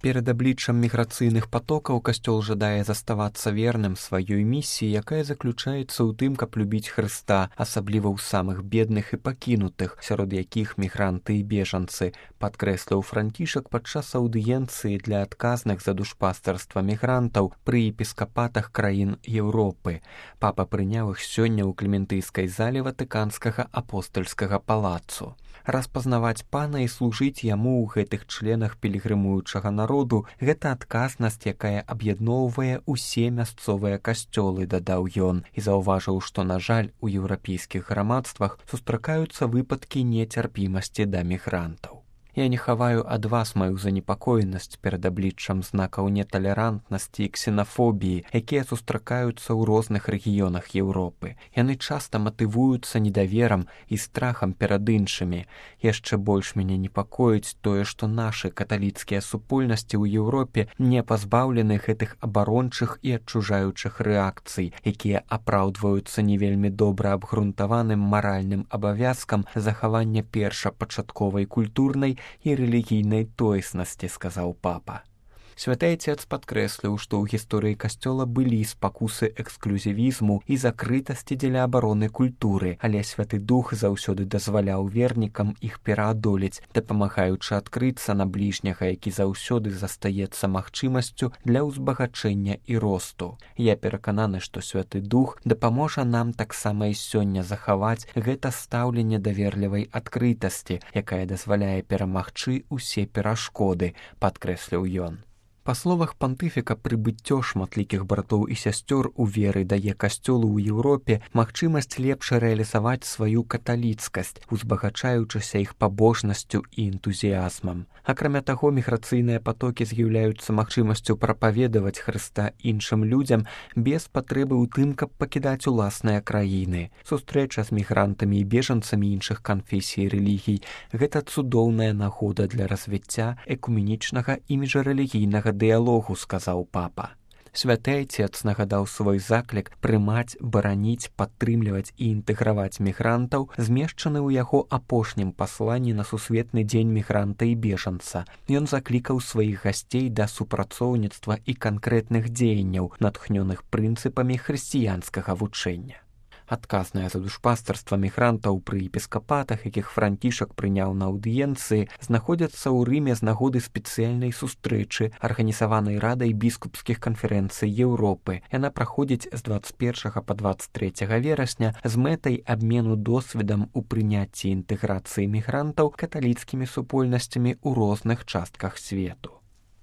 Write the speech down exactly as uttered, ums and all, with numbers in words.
Перад абліччам міграцыйных патокаў касцёл жадае заставацца верным сваёй місіі, якая заключаецца ў тым, каб любіць Хрыста, асабліва ў самых бедных і пакінутых, сярод якіх мігранты і бежанцы, падкрэсліў Францішак падчас аўдыенцыі для адказных за душпастарства мігрантаў пры епіскапатах краін Еўропы. Папа прыняў іх сёння ў Клементыйскай зале Ватыканскага апостальскага палацу. Распазнаваць пана і служыць яму ў гэтых членах пілігрымуючага народу – гэта адказнасць, якая аб'ядноўвае ўсе мясцовыя касцёлы, дадаў ён, і заўважыў, што, на жаль, у еўрапейскіх грамадствах сустракаюцца выпадкі нецярпімасці да мігрантаў. Я не хаваю ад вас маю занепакоенасць перад абліччам знакаў неталерантнасці і ксенафобіі, якія сустракаюцца ў розных рэгіёнах Еўропы. Яны часта матывуюцца недаверам і страхам перад іншымі. Яшчэ больш мяне непакоіць тое, што нашы каталіцкія супольнасці ў Еўропе не пазбаўлены гэтых абарончых і адчужаючых рэакцый, якія апраўдваюцца не вельмі добра абгрунтаваным маральным абавязкам захавання першапачатковай культурнай і рэлігійнай тоеснасці, сказаў папа. Святы Айцец падкрэсліў, што ў гісторыі касцёла былі спакусы эксклюзівізму і закрытасці дзеля абароны культуры, але Святы Дух заўсёды дазваляў вернікам іх пераадолець, дапамагаючы адкрыцца на бліжняга, які заўсёды застаецца магчымасцю для ўзбагачэння і росту. Я перакананы, што Святы Дух дапаможа нам таксама і сёння захаваць гэта стаўленне даверлівай адкрытасці, якая дазваляе перамагчы ўсе перашкоды, падкрэсліў ён. Па словах пантыфіка, прыбыццё шматлікіх братоў і сясцёр у веры дае касцёлу ў Еўропе магчымасць лепш рэалізаваць сваю каталіцкасць, узбагачаючыся іх пабожнасцю і энтузіязмам. Акрамя таго, міграцыйныя патокі з'яўляюцца магчымасцю прапаведаваць Хрыста іншым людзям без патрэбы ў тым, каб пакідаць уласныя краіны. Сустрэча з мігрантамі і бежанцамі іншых канфесій і рэлігій – гэта цудоўная нагода для развіцця экуменічнага і міжрэлігійнага дыялогу, сказаў папа. Святы Айцец нагадаў свой заклік прымаць, бараніць, падтрымліваць і інтэграваць мігрантаў, змешчаны ў яго апошнім пасланні на сусветны дзень мігранта і бежанца. Ён заклікаў сваіх гасцей да супрацоўніцтва і канкрэтных дзеянняў, натхнёных прынцыпамі хрысціянскага вучэння. Адказныя за душпастарства мігрантаў пры епіскапатах, якіх Францішак прыняў на аўдыенцыі, знаходзяцца ў Рыме з нагоды спецыяльнай сустрэчы, арганізаванай Радай біскупскіх канферэнцый Еўропы. Яна праходзіць з дваццаць першага па дваццаць трэцяга верасня з мэтай абмену досведам у прыняцці інтэграцыі мігрантаў каталіцкімі супольнасцямі ў розных частках свету.